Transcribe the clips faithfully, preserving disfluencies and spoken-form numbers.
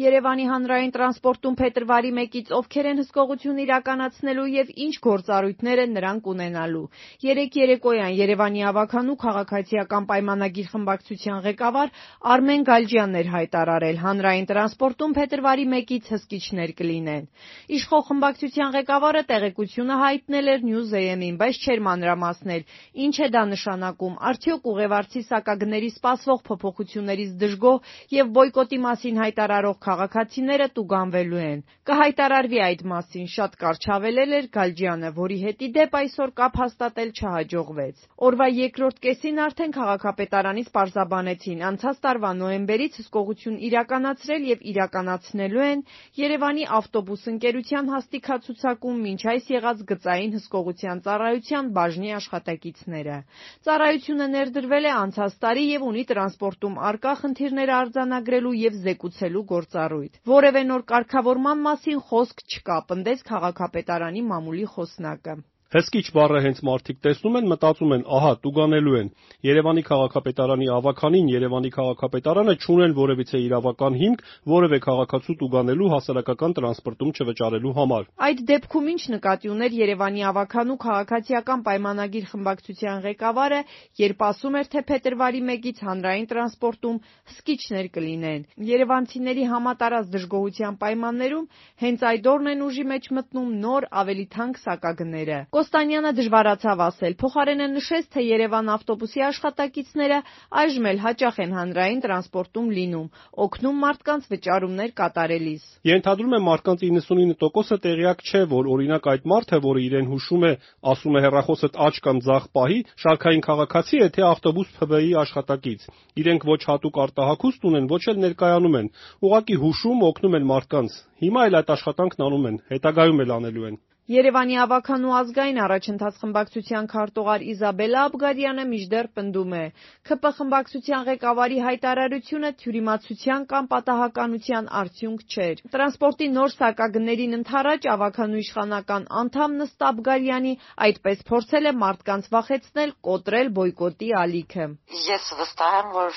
Երևանի հանրային տրանսպորտում փետրվարի մեկից ովքեր են հսկողություն իրականացնելու եւ ինչ գործառույթներ են նրանք ունենալու։ Երեկ երեկոյան Երևանի ավագանու քաղաքացիական պայմանագիր խմբակցության ղեկավար Արմեն Գալջյանն էր հայտարարել, հանրային տրանսպորտում փետրվարի մեկից հսկիչներ կլինեն։ Իշխող խմբակցության ղեկավարը տեղեկությունը հայտնել էր News.am-ին, բայց չէր մանրամասնել, ինչ է դա նշանակում, արդյոք ուղևորցի սակագների սպասվող փոփոխություններից դժգոհ եւ բոյկոտի մասին հայտարարող քաղաքացիները տուգանվելու են։ Կհայտարարվի այդ մասին, շատ կարճ հավելել էր Գալջյանը, որի հետ ի դեպ այսօր կապ հաստատել չհաջողվեց։ Օրվա երկրորդ կեսին արդեն քաղաքապետարանից պարզաբանեցին, անցած տարվա նոյեմբերից հսկողություն իրականացրել եւ իրականացնելու են Երևանի ավտոբուս ընկերության հաստիքացուցակում մինչ այս եղած գծային հսկողության ծառայության բաժնի աշխատակիցները։ Ծառայությունը ներդրվել է անցած տարի եւ ունի տրանսպորտում առկա խնդիրները արձանագրելու եւ զեկուցելու գործառույթ։ Որևէ նոր կարգավորման մասին խոսք չկա, պնդեց քաղաքապետարանի մամուլի խոսնակը։ Հսկիչ բառը հենց մարդիկ տեսնում են, մտածում են, ահա, տուգանելու են։ Երևանի քաղաքապետարանի ավականին, Երևանի քաղաքապետարանը չունեն որևիցե իրավական հիմք որևէ քաղաքացու տուգանելու հասարակական տրանսպորտում չվճարելու համար։ Այդ դեպքում ինչ նկատի ուներ Երևանի ավականու քաղաքացիական պայմանագիր խմբակցության ղեկավարը, երբ ասում էր, թե փետրվարի մեկից հանրային տրանսպորտում հսկիչներ կլինեն։ Երևանցիների համատարած դժգոհության պայմաններում հենց այդ օրն են ուժի մեջ մտնում նոր, ավելի թանկ սակագները։ Կոստանյանը դժվարացավ ասել, փոխարենը նշեց, թե Երևան ավտոբուսի աշխատակիցները այժմ էլ հաճախ են հանրային տրանսպորտում լինում, օգնում մարդկանց վճարումներ կատարելիս։ Ենթադրում եմ մարդկանց իննսունինը տոկոսը տեղյակ չէ, որ օրինակ այդ մարդը, որը իրեն հուշում է, ասում է հեռախոսդ աջ կամ ձախ պահի, շարքային քաղաքացի է, թե ավտոբուս ՓԲ-ի աշխատակից։ Իրենք ոչ հատուկ արտահայտություն ունեն, ոչ էլ ներկայանում են, ուղղակի հուշում, օգնում են մարդկանց։ Հիմա էլ այդ աշխատանքն անում են, հետագայում էլ անելու են։ Երևանի ավականու ազգային առաջընթաց խմբակցության քարտուղար Իզաբելլա Աբգարյանը մինչդեռ պնդում է, ՔՊ խմբակցության ղեկավարի հայտարարությունը թյուրիմացության կամ պատահականության արդյունք չէր։ Տրանսպորտի նոր սակագներին ընդառաջ ավականու իշխանական անդամ Նստա Աբգարյանի այդպես փորձել է մարդկանց վախեցնել, կոտրել բոյկոտի ալիքը։ Ես վստահ եմ, որ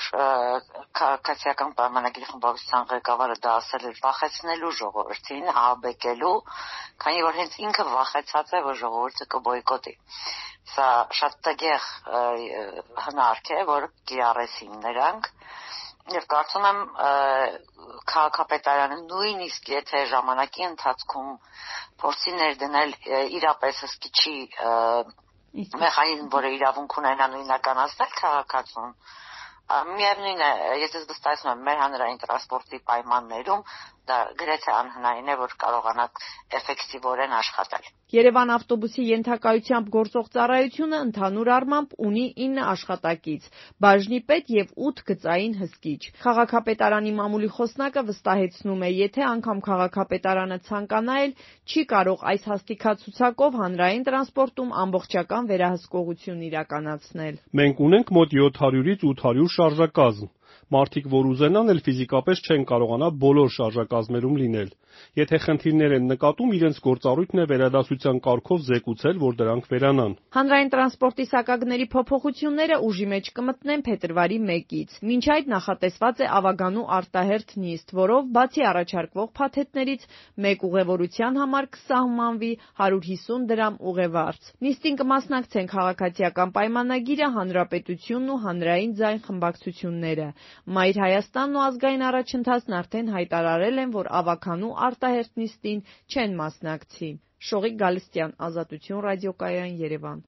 քաղաքացիական պայմանագիր խմբակցության ղեկավարը դա ասել էր վախեցնելու ժողովրդին, ահաբեկելու, քանի որ հենց ինքը վախեցած է, որ ժողովուրդը կբոյկոտի։ Սա շատ տգեղ հնարք է, որ կիրառեցին նրանք, եւ կարծում եմ քաղաքապետարանը նույնիսկ եթե ժամանակի ընթացքում փորձի ներդնել իրապես հսկիչի մեխանիզմ, որը իրավունք ունենա նույնականացնել քաղաքացուն, միևնույն է, ես վստահեցնում եմ, մեր հանրային տրանսպորտի պայմաններում դա գրեթե անհնարին է, որ կարողանաք էֆեկտիվորեն աշխատել։ Երևան ավտոբուսի ենթակայությամբ գործող ծառայությունը ընդհանուր առմամբ ունի ինը աշխատակից, բաժնի պետ եւ ութ գծային հսկիչ։ Քաղաքապետարանի մամուլի խոսնակը վստահեցնում է, եթե անգամ քաղաքապետարանը ցանկանա էլ, չի կարող այս հաստիքացուցակով հանրային տրանսպորտում ամբողջական վերահսկողություն իրականացնել։ Մենք ունենք մոտ յոթ հարյուրից ութ հարյուր շարժակազմ։ Մարդիկ, որ ուզենան, էլ ֆիզիկապես չեն կարողանա բոլոր շարժակազմերում լինել։ Եթե խնդիրներ են նկատում, իրենց գործառույթն է վերադասության կարգով զեկուցել, որ դրանք վերանան։ Հանրային տրանսպորտի սակագների փոփոխությունները ուժի մեջ կմտնեն փետրվարի մեկից։ Մինչ այդ նախատեսված է ավագանու արտահերթ նիստ, որով բացի առաջարկվող փաթեթներից մեկ ուղևորության համար կսահմանվի հարյուր հիսուն դրամ ուղևորց։ Նիստին կմասնակցեն քաղաքացիական պայմանագիրը, Հանրապետությունն ու Հանրային ձայն խմբակցությունները։ Մայր Հայաստանն ու ազգային առաջընթացն արդեն հայտարարել են, որ ավագանու արտահերթ նիստին չեն մասնակցի։ Շողիկ Գալստյան, Ազատություն ռադիոկայան, Երևան։